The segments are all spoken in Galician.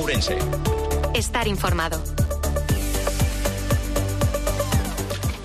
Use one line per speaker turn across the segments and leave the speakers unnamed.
Ourense.
Estar informado.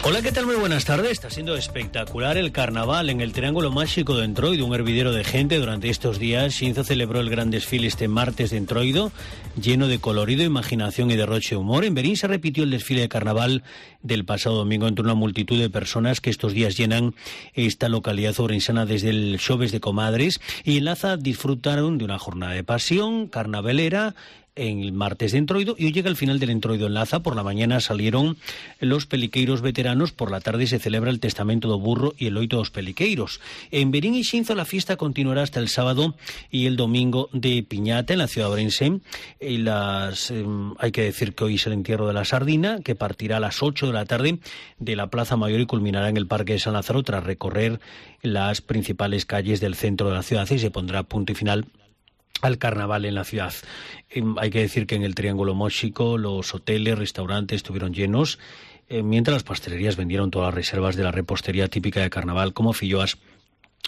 Hola, ¿qué tal? Muy buenas tardes. Está siendo espectacular el carnaval en el Triángulo Máxico de Entroido, un hervidero de gente durante estos días. Xinzo celebró el gran desfile este martes de Entroido, lleno de colorido, imaginación y derroche de humor. En Verín se repitió el desfile de carnaval del pasado domingo entre una multitud de personas que estos días llenan esta localidad ourensana desde el Xoves de Comadres, y en Laza disfrutaron de una jornada de pasión carnavalera en el martes de Entroido, y hoy llega el final del Entroido en Laza. Por la mañana salieron los peliqueiros veteranos, por la tarde se celebra el testamento do burro y el loito dos peliqueiros. En Verín y Xinzo la fiesta continuará hasta el sábado y el domingo de Piñata en la ciudad ourense. Hay que decir que hoy es el entierro de la sardina, que partirá a las 8 de la tarde de la Plaza Mayor y culminará en el Parque de San Lázaro tras recorrer las principales calles del centro de la ciudad, y se pondrá punto y final al carnaval en la ciudad. Hay que decir que en el Triángulo Máxico los hoteles, restaurantes estuvieron llenos, mientras las pastelerías vendieron todas las reservas de la repostería típica de carnaval, como filloas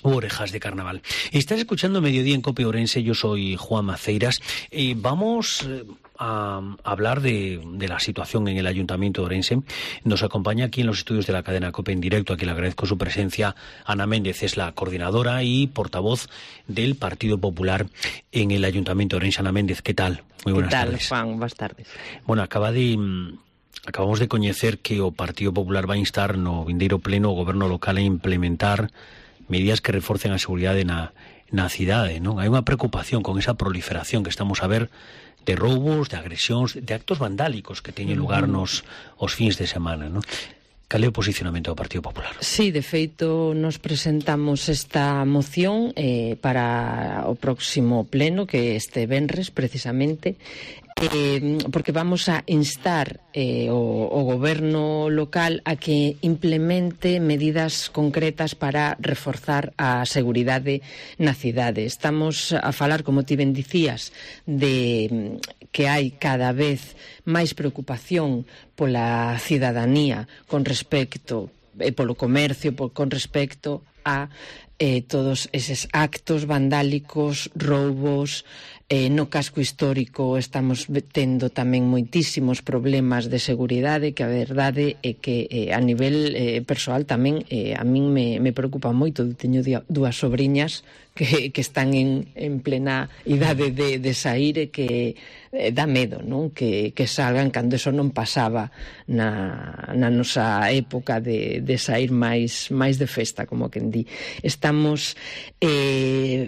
u orejas de carnaval. Estás escuchando Mediodía en COPE Ourense, yo soy Juan Maceiras. Vamos a hablar de la situación en el Ayuntamiento de Ourense. Nos acompaña aquí en los estudios de la cadena COPE en directo, a quien le agradezco su presencia, Ana Méndez. Es la coordinadora y portavoz del Partido Popular en el Ayuntamiento de Ourense. Ana Méndez, ¿qué tal? Muy buenas tardes.
¿Qué tal, Juan? Buenas tardes.
Bueno, acabamos de coñecer que o Partido Popular vai instar no vindeiro pleno o goberno local a implementar medidas que reforcen a seguridade na cidade, non? Hai unha preocupación con esa proliferación que estamos a ver de roubos, de agresións, de actos vandálicos que teñen lugar os fins de semana, non? Cal é o posicionamento do Partido Popular?
Sí, de feito, nos presentamos esta moción para o próximo pleno, que este venres, precisamente, porque vamos a instar o goberno local a que implemente medidas concretas para reforzar a seguridade na cidade. Estamos a falar, como ti ben dicías, de que hai cada vez máis preocupación pola cidadanía con respecto, polo comercio, con respecto a todos eses actos vandálicos, roubos. No casco histórico estamos tendo tamén moitísimos problemas de seguridade, que a verdade é que a nivel persoal tamén a min me preocupa moito. Teño dúas sobriñas que están en plena idade de sair, e que dá medo, non? Que salgan, cando eso non pasaba na nosa época de sair máis de festa, como quen di. Estamos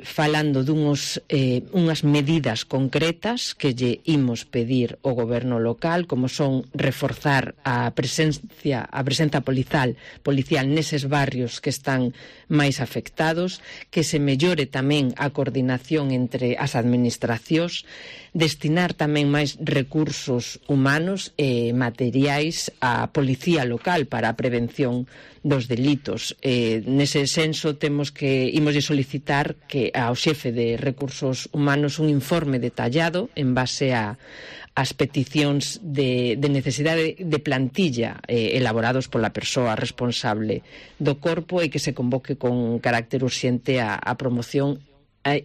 falando unhas medidas concretas que lle imos pedir ao goberno local, como son reforzar a presencia policial neses barrios que están máis afectados, que se mellore tamén a coordinación entre as administracións, destinar tamén máis recursos humanos e materiais á policía local para a prevención dos delitos. Nese senso imoslle solicitar que ao xefe de recursos humanos un informe detallado en base as peticións de necesidade de plantilla elaborados pola persoa responsable do corpo, e que se convoque con carácter urxente a promoción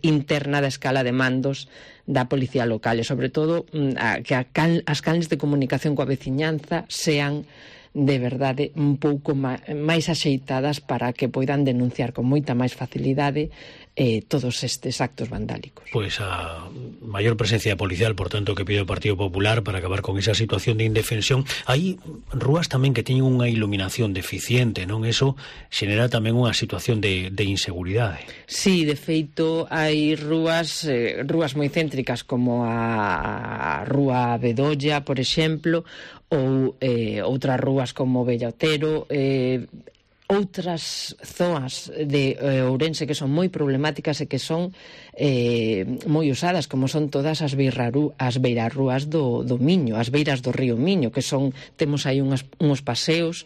interna da escala de mandos da policía local, e sobre todo que as canles de comunicación coa veciñanza sean de verdade un pouco máis axeitadas para que poidan denunciar con moita máis facilidade todos estes actos vandálicos.
Pois a maior presencia policial, por tanto, que pide o Partido Popular para acabar con esa situación de indefensión. Hai rúas tamén que teñen unha iluminación deficiente, non? Eso xenera tamén unha situación de inseguridade.
Sí, de feito, hai rúas moi céntricas, como a Rúa Bedolla, por exemplo, ou outras rúas como Bellotero, outras zonas de Ourense que son moi problemáticas e que son moi usadas, como son todas as beirarrúas do Miño, as beiras do río Miño, que temos aí uns paseos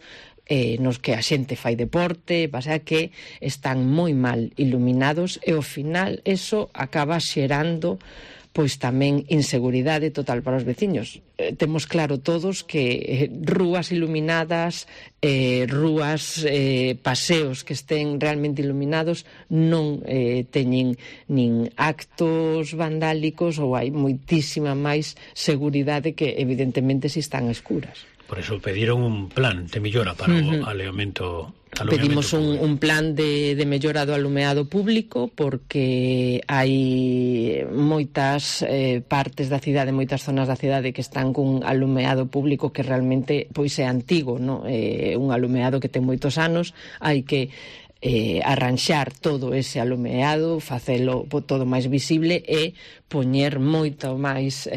nos que a xente fai deporte, pasa que están moi mal iluminados, e ao final eso acaba xerando pois tamén inseguridade total para os veciños. Temos claro todos que rúas iluminadas, rúas, paseos que estén realmente iluminados non teñen nin actos vandálicos, ou hai moitísima máis seguridade que evidentemente si están escuras.
Por eso pediron un plan de mellora para o alumeamento.
Pedimos un plan de mellora do alumeado público, porque hai moitas partes da cidade, moitas zonas da cidade que están cun alumeado público que realmente pois é antigo, non? Un alumeado que ten moitos anos, hai que arranxar todo ese alumeado, facelo todo máis visible e poñer moito máis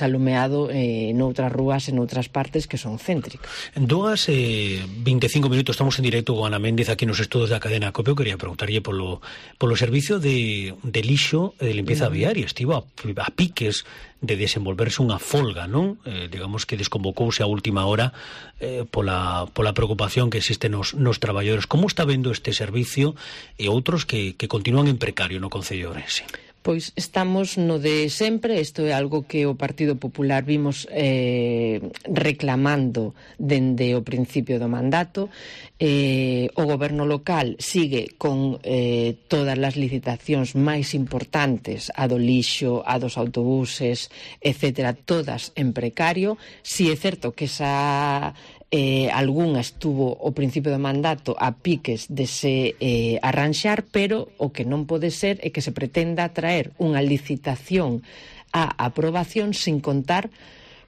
alumeado noutras rúas e noutras partes que son céntricas.
En 25 minutos estamos en directo con Ana Méndez aquí nos estudos da cadena COPE. Eu quería preguntarlle polo servicio de lixo e de limpieza viaria. Estivo a piques de desenvolverse unha folga, non? Digamos que desconvocouse a última hora pola preocupación que existe nos traballadores. Como está vendo este servicio e outros que continúan en precario no Concello de Ourense?
Pois estamos no de sempre. Isto é algo que o Partido Popular vimos reclamando dende o principio do mandato. O goberno local sigue con todas as licitacións máis importantes, a do lixo, a dos autobuses, etcétera, todas en precario. Si é certo que esa algunha estuvo ao principio do mandato a piques de se arranxar, pero o que non pode ser é que se pretenda traer unha licitación a aprobación sin contar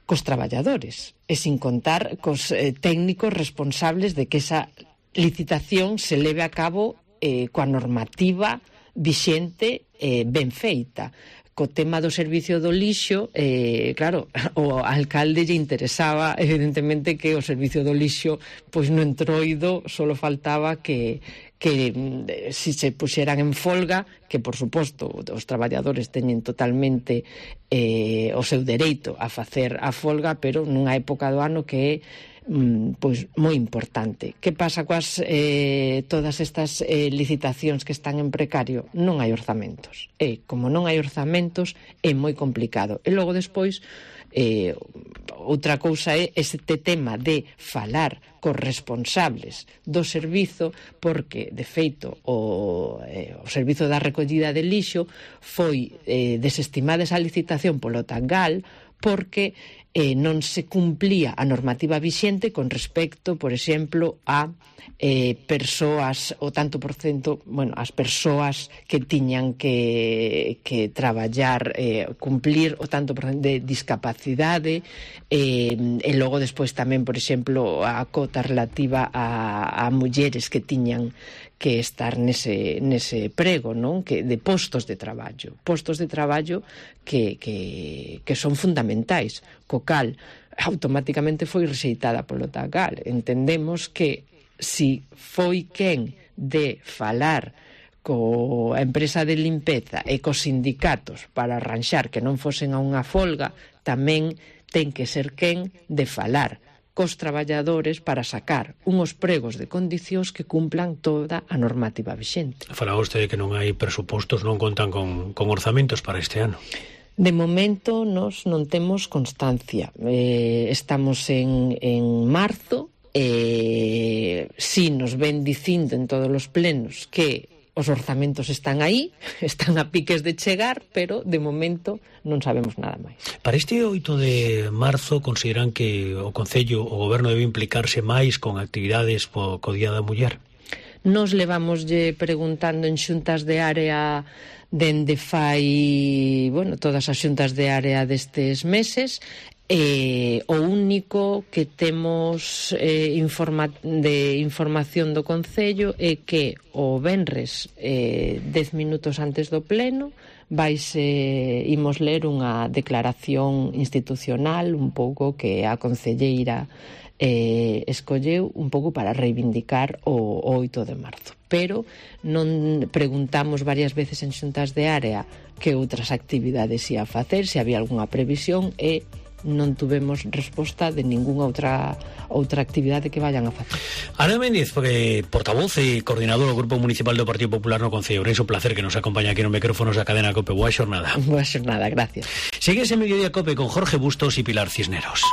cos traballadores e sin contar cos técnicos responsables de que esa licitación se leve a cabo coa normativa vixente ben feita. Co tema do servicio do lixo, claro, o alcalde lle interesaba evidentemente que o servicio do lixo pois no Entroido solo faltaba que si se puxeran en folga, que por suposto os traballadores teñen totalmente o seu dereito a facer a folga, pero nunha época do ano que é pois moi importante. Que pasa coas todas estas licitacións que están en precario? Non hai orzamentos. E como non hai orzamentos é moi complicado. E logo despois outra cousa é este tema de falar cos responsables do servizo, porque de feito o servizo da recollida de lixo foi desestimada esa licitación polo Tangal porque non se cumplía a normativa vixente con respecto, por exemplo, a persoas, o tanto por cento, bueno, as persoas que tiñan que traballar, cumplir o tanto por cento de discapacidade, e logo despois tamén, por exemplo, a cota relativa a mulleres que tiñan que estar nese prego, non? Que de postos de traballo que son fundamentais, co cal automáticamente foi rexeitada polo Tangal. Entendemos que si foi quen de falar coa empresa de limpeza e cos sindicatos para arranxar que non fosen a unha folga, tamén ten que ser quen de falar cos traballadores para sacar unhos pregos de condicións que cumplan toda a normativa vixente.
Fala vostede que non hai presupostos, non contan con orzamentos para este ano.
De momento nos non temos constancia. Estamos en marzo, si nos ven dicindo en todos os plenos que os orzamentos están aí, están a piques de chegar, pero de momento non sabemos nada máis.
Para este 8 de marzo consideran que o Concello, o Goberno debe implicarse máis con actividades co Día da Muller?
Nos levamoslle preguntando en xuntas de área dende fai, todas as xuntas de área destes meses. O único que temos de información do Concello é que o venres 10 minutos antes do pleno imos ler unha declaración institucional un pouco que a concelleira escolleu un pouco para reivindicar o 8 de marzo. Pero non preguntamos varias veces en xuntas de área que outras actividades ia facer, se había algunha previsión, e non tuvemos resposta de ningunha outra actividade que vayan a facer.
Ana Méndez, portavoz e coordinador do Grupo Municipal do Partido Popular no Concello Ourense, un placer que nos acompaña aquí nos micrófonos da cadena COPE. Boa xornada.
Boa xornada, gracias.
Sigue ese Mediodía COPE con Jorge Bustos y Pilar Cisneros.